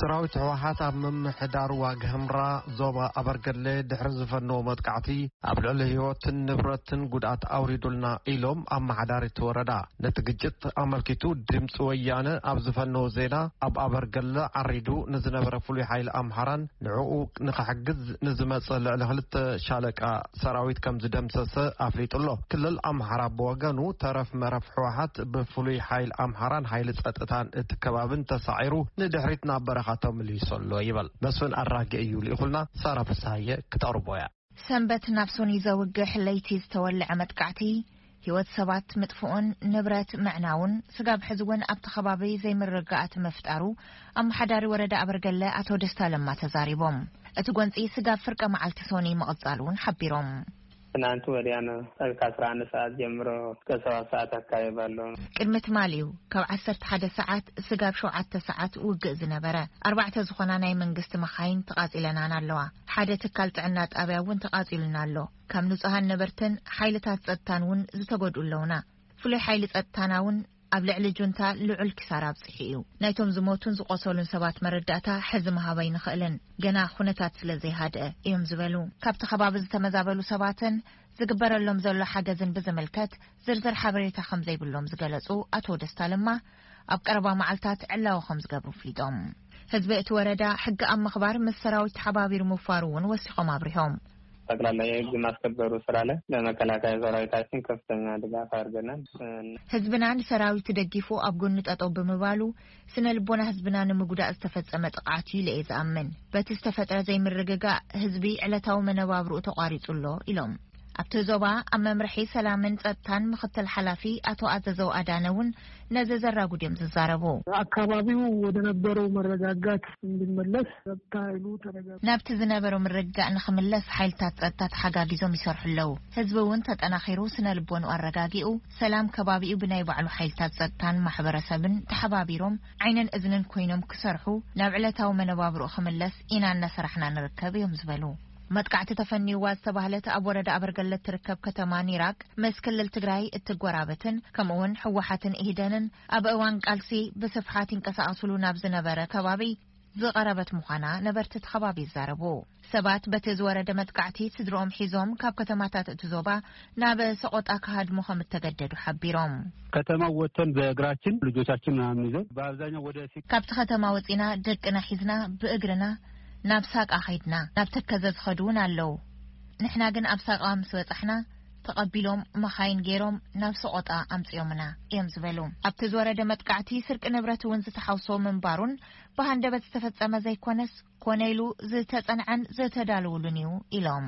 ሰራዊት ህወሓት ኣብ ምምሕዳር ዋግ ህምራ ዞባ ኣበርገለ ድሕሪ ዝፈነዎ መጥቃዕቲ ኣብ ልዕሊ ህይወትን ንብረትን ጉድኣት ኣውሪዱልና ኢሎም ኣመሓዳሪት ወረዳ። ነቲ ግጭት ኣመልኪቱ ድምፂ ወያነ ኣብ ዝፈነዎ ዜና ኣብ ኣበርገለ ዓሪዱ ንዝነበረ ፍሉይ ሓይሊ ኣምሓራን ንዕኡ ንኽሕግዝ ንዝመፀ ልዕሊ ክልተ ሻለቃ ሰራዊት ከም ዝደምሰሰ ኣፍሊጡ ኣሎ። ክልል ኣምሓራ ብወገኑ ተረፍ መረፍ ህወሓት ብፍሉይ ሓይሊ ኣምሓራን ሓይሊ ጸጥታን እቲ ከባብን ተሳዒሩ ንድሕሪት ናብ በረኻ ተመሊሱ ኣሎ ይበል። መስፍን ኣራጌ እዩ ልኢኹልና። ሳራ ፍስሃየ ክተቕርቦ እያ። ሰንበት ናብ ሶኒ ዘውግሕ ለይቲ ዝተወልዐ መጥቃዕቲ ህይወት ሰባት ምጥፍኡን ንብረት ምዕናውን ስጋብ ሕዚ እውን ኣብቲ ከባቢ ዘይምርግጋኣት ምፍጣሩ ኣመሓዳሪ ወረዳ ኣበርገለ ኣቶ ደስታ ለማ ተዛሪቦም። እቲ ጎንፂ ስጋብ ፍርቀ መዓልቲ ሶኒ ምቕፃሉ እውን ሓቢሮም። ትናንት ወዲያ ነው። እስከ አስራ አንድ ሰዓት ጀምሮ እስከ ሰባት ሰዓት አካባቢ ባለው ነው። ቅድሚ ትማሊ እዩ ካብ ዓሰርተ ሓደ ሰዓት ስጋብ ሸውዓተ ሰዓት ውግእ ዝነበረ። ኣርባዕተ ዝኾና ናይ መንግስቲ መኻይን ተቓጺለናን ኣለዋ። ሓደ ትካል ጥዕና ጣብያ እውን ተቓጺሉና ኣሎ። ካብ ንጹሃን ነበርትን ሓይልታት ጸጥታን እውን ዝተጎድኡ ኣለውና። ፍሉይ ሓይሊ ጸጥታና እውን ኣብ ልዕሊ ጁንታ ልዑል ኪሳራ ኣብጺሑ እዩ። ናይቶም ዝሞቱን ዝቆሰሉን ሰባት መረዳእታ ሕዚ ምሃብ ኣይንኽእልን፣ ገና ኩነታት ስለ ዘይሃድአ እዮም ዝበሉ። ካብቲ ከባቢ ዝተመዛበሉ ሰባትን ዝግበረሎም ዘሎ ሓገዝን ብዝምልከት ዝርዝር ሓበሬታ ከም ዘይብሎም ዝገለጹ ኣቶ ደስታ ለማ፣ ኣብ ቀረባ መዓልታት ዕላዊ ከም ዝገብሩ ኣፍሊጦም። ህዝቢ እቲ ወረዳ ሕጊ ኣብ ምኽባር ምስ ሰራዊት ተሓባቢሩ ምፋሩ እውን ወሲኾም ኣብሪሆም። ጠቅላላ የህግ ማስከበሩ ስራ ላይ ለመከላከያ ሰራዊታችን ከፍተኛ ድጋፍ አድርገናል። ህዝብና ንሰራዊት ተደጊፉ ኣብ ጎኒ ጠጠው ብምባሉ፣ ስነ ልቦና ህዝብና ንምጉዳእ ዝተፈጸመ ጥቕዓት እዩ ኢለ እየ ዝኣምን። በቲ ዝተፈጥረ ዘይምርግጋእ፣ ህዝቢ ዕለታዊ መነባብርኡ ተቋሪጹ ኣሎ ኢሎም። ኣብቲ ዞባ ኣብ መምርሒ ሰላምን ጸጥታን ምኽትል ሓላፊ ኣቶ ኣዘዘው ኣዳነ እውን ነዚ ዘራጉድ እዮም ዝዛረቡ። አካባቢው ወደ ነበረው መረጋጋት እንዲመለስ ጸጥታ ኃይሉ ተረጋጋ። ናብቲ ዝነበሮ ምርግጋእ ንኽምለስ ሓይልታት ጸጥታ ተሓጋጊዞም ይሰርሑ ኣለዉ። ህዝቢ እውን ተጠናኺሩ ስነ ልቦንኡ ኣረጋጊኡ፣ ሰላም ከባቢኡ ብናይ ባዕሉ ሓይልታት ጸጥታን ማሕበረሰብን ተሓባቢሮም ዓይንን እዝንን ኮይኖም ክሰርሑ፣ ናብ ዕለታዊ መነባብርኡ ክምለስ ኢና እናሰራሕና ንርከብ እዮም ዝበሉ። መጥቃዕቲ ተፈንይዋ ዝተባህለት ኣብ ወረዳ ኣበርገለት ትርከብ ከተማ ኒራቅ ምስ ክልል ትግራይ እትጎራበትን ከምኡውን ህወሓትን ኢህደንን ኣብ እዋን ቃልሲ ብስፍሓት ይንቀሳቐሱሉ ናብ ዝነበረ ከባቢ ዝቐረበት ምዃና ነበርቲ እቲ ከባቢ ይዛረቡ። ሰባት በቲ ዝወረደ መጥቃዕቲ ስድርኦም ሒዞም ካብ ከተማታት እቲ ዞባ ናብ ሰቆጣ ክሃድሙ ከም እተገደዱ ሓቢሮም። ከተማ ወጥተን በእግራችን ልጆቻችን ምናምን ይዘን በአብዛኛው ወደ ሲ- ካብቲ ከተማ ወፂና ደቅና ሒዝና ብእግርና ናብ ሳቃ ኸይድና፣ ናብ ተከዘ ዝኸዱ እውን ኣለዉ። ንሕና ግን ኣብ ሳቃ ምስ በጻሕና ተቐቢሎም መኻይን ገይሮም ናብ ሰቆጣ ኣምፅኦምና እዮም ዝበሉ። ኣብቲ ዝወረደ መጥቃዕቲ ስርቂ ንብረት እውን ዝተሓውሶ ምንባሩን ብሃንደበት ዝተፈጸመ ዘይኮነስ ኮነ ኢሉ ዝተጸንዐን ዝተዳለወሉን እዩ ኢሎም።